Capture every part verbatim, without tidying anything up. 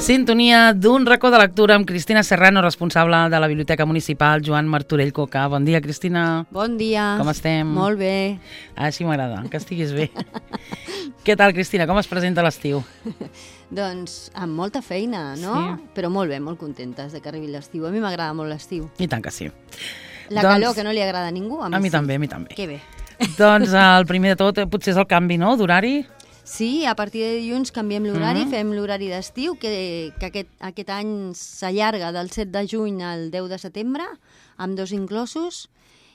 Sintonia d'un racó de lectura amb Cristina Serrano, responsable de la Biblioteca Municipal Joan Martorell Coca. Bon dia, Cristina. Bon dia. Com estem? Molt bé. Així m'agrada, que estiguis bé. Què tal, Cristina? Com es presenta l'estiu? Doncs amb molta feina, no? Sí. Però molt bé, molt contentes de que arribi l'estiu. A mi m'agrada molt l'estiu. I tant que sí. La doncs... calor, que no li agrada a ningú, a mi, a mi sí. també, a mi també. Que bé. Doncs el primer de tot potser és el canvi, no?, d'horari. Sí, a partir de dilluns canviem l'horari, Mm. fem l'horari d'estiu, que, que aquest, aquest any s'allarga del set de juny al deu de setembre, amb dos inclosos.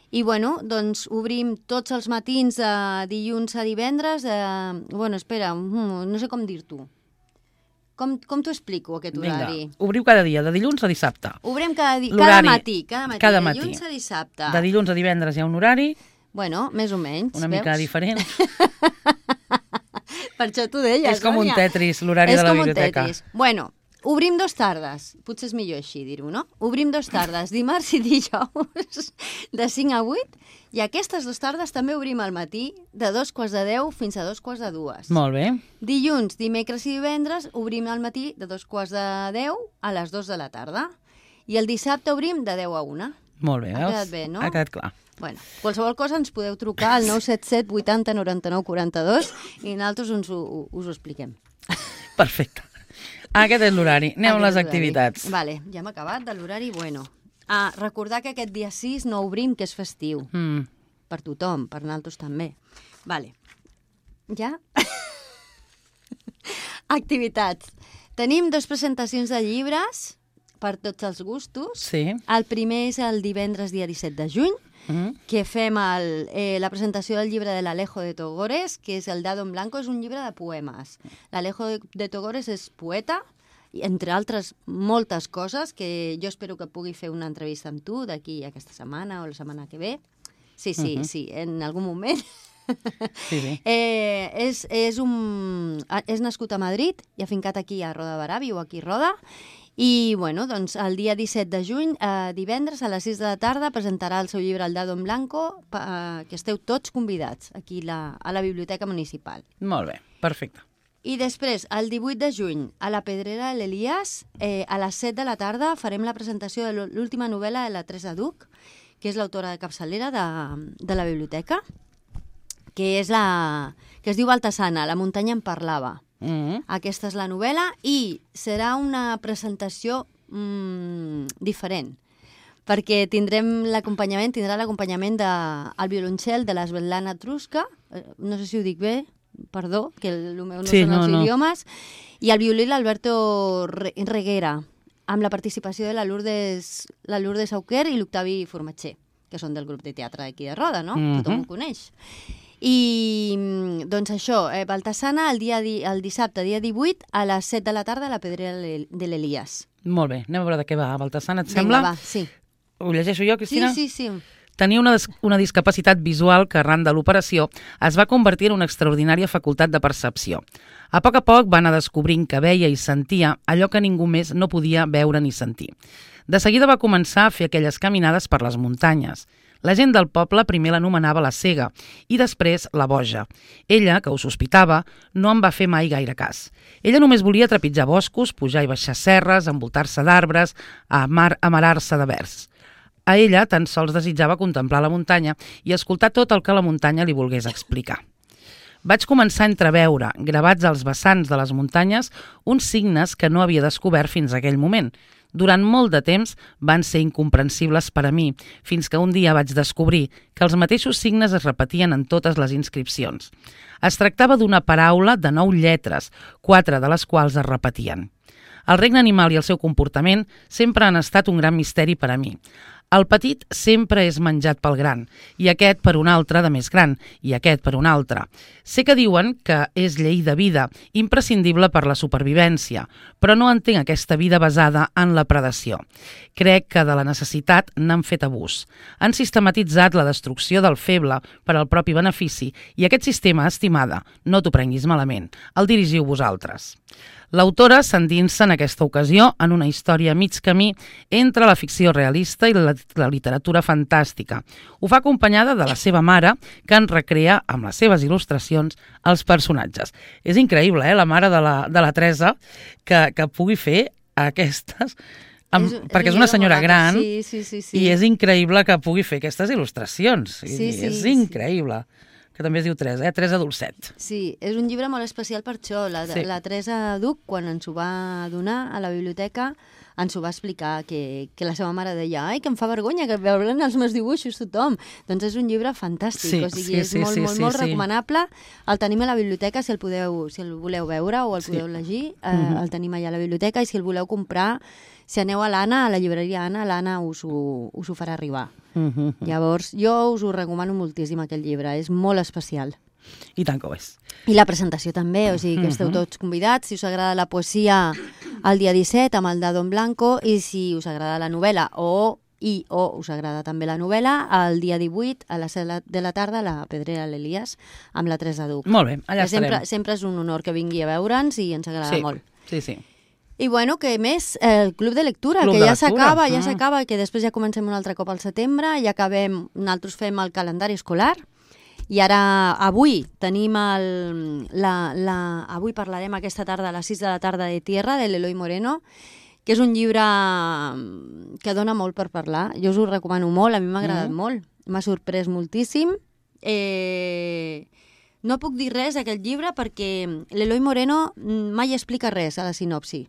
I, bueno, doncs obrim tots els matins de dilluns a divendres. De... Bueno, espera, no sé com dir-t'ho. Com, com t'ho explico, aquest horari? Vinga, obriu cada dia, de dilluns a dissabte. Obrim cada, di... L'horari, cada matí, cada matí, cada de matí. dilluns a dissabte. De dilluns a divendres hi ha un horari, Bueno, més o menys, una veus? mica diferent. Per això t'ho deia, És com un Sònia. Tetris, l'horari És de la com un biblioteca. Tetris. Bueno, obrim dos tardes. Potser és millor així dir-ho, no? Obrim dos tardes, dimarts i dijous, de cinc a vuit, i aquestes dues tardes també obrim al matí, de dos quarts de deu fins a dos quarts de dues. Molt bé. Dilluns, dimecres i divendres obrim al matí de dos quarts de deu a les dos de la tarda. I el dissabte obrim de deu a una. Molt bé, Ha veus? quedat bé, no? Ha quedat clar. Bueno, qualsevol cosa ens podeu trucar al nou set set vuitanta noranta-nou quaranta-dos i nosaltres us ho, us ho expliquem. Perfecte. Aquest és l'horari. Anem amb les Aquest horari. activitats. Vale, ja hem acabat de l'horari. Bueno, ah, recordar que aquest dia sis no obrim, que és festiu. Mm. Per tothom, per nosaltres també. Vale. Ja? Activitats. Tenim dues presentacions de llibres per tots els gustos. Sí. El primer és el divendres, dia disset de juny, Mm. que fem el, eh, la presentació del llibre de l'Alejo de Togores, que és el Dado en Blanco, és un llibre de poemes. L'Alejo de, de Togores és poeta, i entre altres moltes coses, que jo espero que pugui fer una entrevista amb tu d'aquí aquesta setmana o la setmana que ve. Sí, sí, Mhm. sí, en algun moment. Sí, sí. Eh, és, és, un, és nascut a Madrid i ha fincat aquí a Roda de Barà, viu aquí a Roda. I, bueno, doncs, el dia disset de juny, eh, divendres, a les sis de la tarda, presentarà el seu llibre El Dado en Blanco, eh, que esteu tots convidats aquí la, a la Biblioteca Municipal. Molt bé, perfecte. I després, el divuit de juny, a la Pedrera de l'Elias, eh, a les set de la tarda, farem la presentació de l'última novel·la de la Teresa Duc, que és l'autora de capçalera de, de la biblioteca, que, és la, que es diu Baltasana, La muntanya en parlava. Mm. Aquesta és la novel·la i serà una presentació mmm, diferent, perquè tindrem l'acompanyament, tindrà l'acompanyament del de, violoncel de la Svetlana Truska, eh, no sé si ho dic bé, perdó, que el, el meu no Sí, són no, els no. idiomes, i el violí l'Alberto Re- Reguera, amb la participació de la Lourdes, la Lourdes Auquer i l'Octavi Formatger, que són del grup de teatre d'aquí de Roda, no? Mhm. Tothom ho coneix. I, doncs això, eh, Baltasana, el, dia di, el dissabte, dia divuit, a les set de la tarda, a la Pedrera de l'Elias. Molt bé, anem a veure de què va. Baltasana, et Vinga, sembla? va, sí. Ho llegeixo jo, Sí, Cristina? sí, sí. Tenia una, des- una discapacitat visual que, arran de l'operació, es va convertir en una extraordinària facultat de percepció. A poc a poc va anar descobrint que veia i sentia allò que ningú més no podia veure ni sentir. De seguida va començar a fer aquelles caminades per les muntanyes. La gent del poble primer l'anomenava la cega i després la boja. Ella, que ho sospitava, no en va fer mai gaire cas. Ella només volia trepitjar boscos, pujar i baixar serres, envoltar-se d'arbres, amar, amarar-se de vers. A ella tan sols desitjava contemplar la muntanya i escoltar tot el que la muntanya li volgués explicar. Vaig començar a entreveure, gravats als vessants de les muntanyes, uns signes que no havia descobert fins a aquell moment. Durant molt de temps van ser incomprensibles per a mi, fins que un dia vaig descobrir que els mateixos signes es repetien en totes les inscripcions. Es tractava d'una paraula de nou lletres, quatre de les quals es repetien. El regne animal i el seu comportament sempre han estat un gran misteri per a mi. El petit sempre és menjat pel gran, i aquest per un altre de més gran, i aquest per un altre. Sé que diuen que és llei de vida, imprescindible per la supervivència, però no entenc aquesta vida basada en la predació. Crec que de la necessitat n'han fet abús. Han sistematitzat la destrucció del feble per al propi benefici, i aquest sistema, estimada, no t'ho prenguis malament, el dirigiu vosaltres. L'autora s'endinsa en aquesta ocasió en una història a mig camí entre la ficció realista i la la literatura fantàstica. Ho fa acompanyada de la seva mare, que en recrea amb les seves il·lustracions els personatges. És increïble, eh, la mare de la, de la Teresa, que, que pugui fer aquestes... Amb, és, perquè és una senyora gran, sí, sí, sí, sí. i és increïble que pugui fer aquestes il·lustracions. Sí, sí, és sí. increïble. Que també es diu Teresa, eh? Teresa Dolcet. Sí, és un llibre molt especial per això. La, sí. la Teresa Duc, quan ens ho va donar a la biblioteca, ens ho va explicar, que, que la seva mare deia ai, que em fa vergonya que veuran els meus dibuixos tothom. Doncs és un llibre fantàstic, sí, o sigui, sí, és sí, molt, sí, molt, sí, molt sí. recomanable. El tenim a la biblioteca, si el, podeu, si el voleu veure o el podeu sí. llegir, eh, mm-hmm. el tenim allà a la biblioteca, i si el voleu comprar, si aneu a l'Anna, a la llibreria Anna, l'Anna us, ho, us ho farà arribar. Mm-hmm. Llavors, jo us ho recomano moltíssim, aquest llibre, és molt especial. I tant que ho és. I la presentació també, o sigui que esteu tots convidats. Si us agrada la poesia, el dia disset amb el Dado en Blanco, i si us agrada la novel·la o i o us agrada també la novel·la, el dia divuit a les set de la tarda a la Pedrera l'Elias amb la Teresa Duc. Molt bé, allà que sempre, estarem. sempre és un honor que vingui a veure'ns i ens agrada sí, molt. Sí, sí. I bueno, que més, el Club de Lectura, Club que de ja s'acaba, lectura. ja s'acaba, que després ja comencem un altre cop al setembre, i acabem, nosaltres fem el calendari escolar, i ara, avui, tenim el... La, la, avui parlarem aquesta tarda, a les sis de la tarda, de Tierra, de l'Eloi Moreno, que és un llibre que dona molt per parlar. Jo us ho recomano molt, a mi m'ha agradat mm. molt. M'ha sorprès moltíssim. Eh... No puc dir res d'aquest llibre perquè l'Eloi Moreno mai explica res a la sinopsi.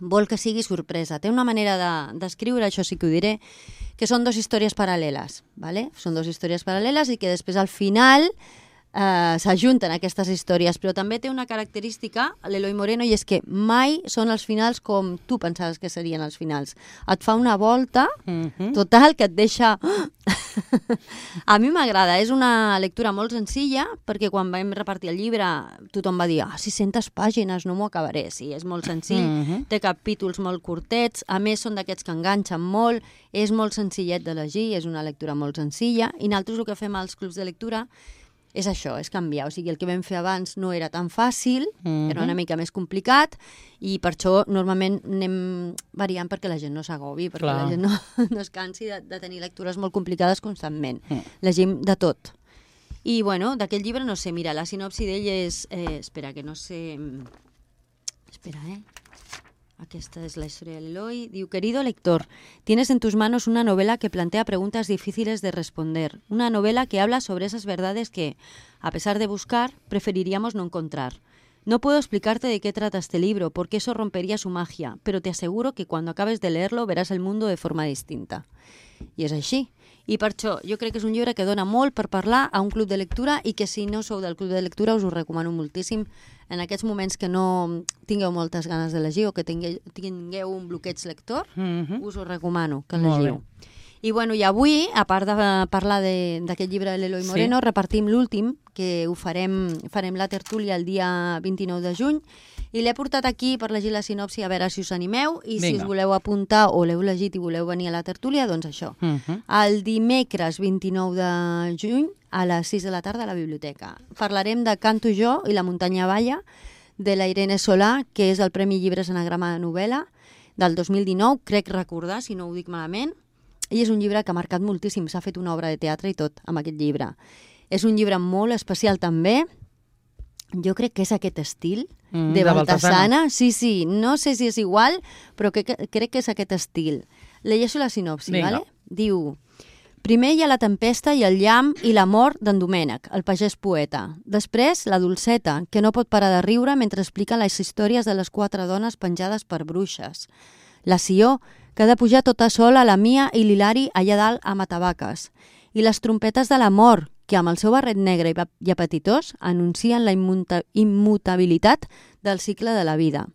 Vol que sigui sorpresa. Té una manera d'escriure, de, això sí que ho diré, que són dues històries paral·leles. ¿vale? Són dues històries paral·leles i que després al final eh, s'ajunten aquestes històries. Però també té una característica, l'Eloi Moreno, i és que mai són els finals com tu pensaves que serien els finals. Et fa una volta mm-hmm. total que et deixa... A mi m'agrada, és una lectura molt senzilla, perquè quan vam repartir el llibre tothom va dir, ah, sis-centes pàgines, no m'ho acabaré. Sí, és molt senzill, mm-hmm. té capítols molt curtets, a més són d'aquests que enganxen molt, és molt senzillet de llegir, és una lectura molt senzilla, i nosaltres el que fem als clubs de lectura és això, és canviar. O sigui, el que vam fer abans no era tan fàcil, mm-hmm. era una mica més complicat, i per això normalment anem variant perquè la gent no s'agobi, perquè Clar. la gent no, no es cansi de, de tenir lectures molt complicades constantment. Mm. Llegim de tot. I, bueno, d'aquest llibre, no sé, mira, la sinopsi d'ell és... Eh, espera, que no sé... Espera, eh? Aquesta es la historia de Eloy. Diu, querido lector, tienes en tus manos una novela que plantea preguntas difíciles de responder. Una novela que habla sobre esas verdades que, a pesar de buscar, preferiríamos no encontrar. No puedo explicarte de qué trata este libro, porque eso rompería su magia, pero te aseguro que cuando acabes de leerlo verás el mundo de forma distinta. I és així. I per això jo crec que és un llibre que dona molt per parlar a un club de lectura i que si no sou del club de lectura us ho recomano moltíssim en aquests moments que no tingueu moltes ganes de llegir o que tingueu, tingueu un bloqueig lector, mm-hmm. us ho recomano que el llegiu. I, bueno, i avui, a part de parlar d'aquest llibre de l'Eloi Moreno, sí. repartim l'últim, que ho farem, farem la tertúlia el dia vint-i-nou de juny, i l'he portat aquí per llegir la sinopsi a veure si us animeu, i Vinga. si us voleu apuntar o l'heu llegit i voleu venir a la tertúlia, doncs això. Uh-huh. El dimecres vint-i-nou de juny a les sis de la tarda a la biblioteca. Parlarem de Canto jo i la muntanya balla, de la Irene Solà, que és el Premi Llibres Anagrama de novel·la del dos mil dinou, crec recordar, si no ho dic malament, i és un llibre que ha marcat moltíssim, s'ha fet una obra de teatre i tot amb aquest llibre. És un llibre molt especial també, jo crec que és aquest estil mm, de, de Baltasana. Sí, sí, no sé si és igual, però que, que, crec que és aquest estil. Llegeixo la sinopsi, Vinga. ¿vale? Diu, primer hi ha la tempesta i el llamp i la mort d'en Domènec, el pagès poeta. Després, la Dolceta, que no pot parar de riure mentre explica les històries de les quatre dones penjades per bruixes. La Sió, que ha de pujar tota sola a la Mia i l'Hilari allà dalt a Matavaques. I les trompetes de la mort, que amb el seu barret negre i apetitós anuncien la immuta immutabilitat del cicle de la vida.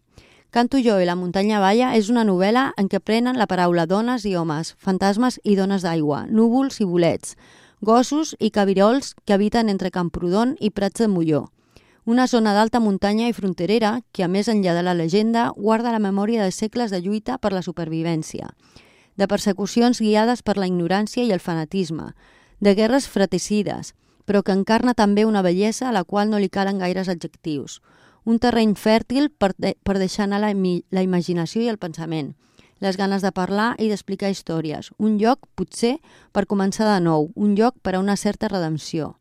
Canto jo i la muntanya balla és una novel·la en què prenen la paraula dones i homes, fantasmes i dones d'aigua, núvols i bolets, gossos i cabirols que habiten entre Camprodon i Prats de Molló. Una zona d'alta muntanya i fronterera que, a més enllà de la llegenda, guarda la memòria de segles de lluita per la supervivència, de persecucions guiades per la ignorància i el fanatisme, de guerres fratricides, però que encarna també una bellesa a la qual no li calen gaires adjectius. Un terreny fèrtil per, de, per deixar anar la, la imaginació i el pensament. les ganes de parlar i d'explicar històries. Un lloc, potser, per començar de nou, un lloc per a una certa redempció.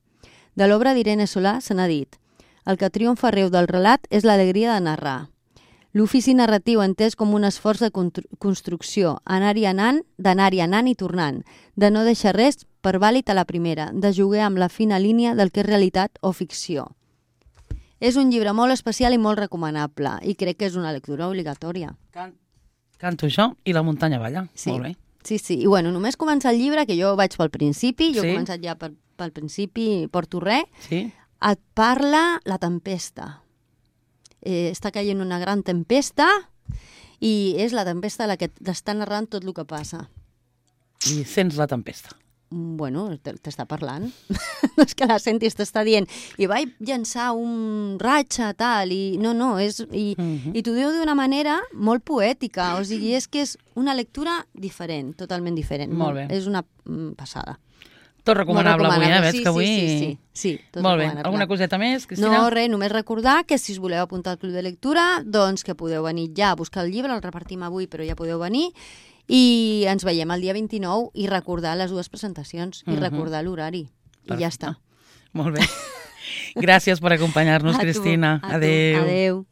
De l'obra d'Irene Solà se n'ha dit: el que triomfa arreu del relat és l'alegria de narrar. L'ofici narratiu entès com un esforç de construcció, anar-hi anant, d'anar-hi anant i tornant, de no deixar res per vàlid a la primera, de jugar amb la fina línia del que és realitat o ficció. És un llibre molt especial i molt recomanable, i crec que és una lectura obligatòria. Can... Canto jo i la muntanya balla. Sí. Molt bé. Sí, sí. I bueno, només començar el llibre, que jo vaig pel principi, jo sí. he començat ja per, pel principi, porto res, sí. et parla la tempesta. Eh, està caient una gran tempesta i és la tempesta la que t'està narrant tot el que passa. I sents la tempesta. Bueno, t'està parlant. No és que la sentis, t'està dient i vaig llançar un ratxa, tal, i no, no, és, i, uh -huh. i t'ho diu d'una manera molt poètica, o sigui, és que és una lectura diferent, totalment diferent. Molt bé. És una passada. Tot recomanable, recomanable avui, eh? Veig sí, que avui... Sí, sí, sí. sí tot molt bé. Alguna coseta més, Cristina? No, res, només recordar que si us voleu apuntar al Club de Lectura, doncs que podeu venir ja a buscar el llibre, el repartim avui, però ja podeu venir, i ens veiem el dia vint-i-nou i recordar les dues presentacions i uh -huh. recordar l'horari. I ja està. Molt bé. Gràcies per acompanyar-nos, Cristina. A tu, a tu. Adéu. Adéu.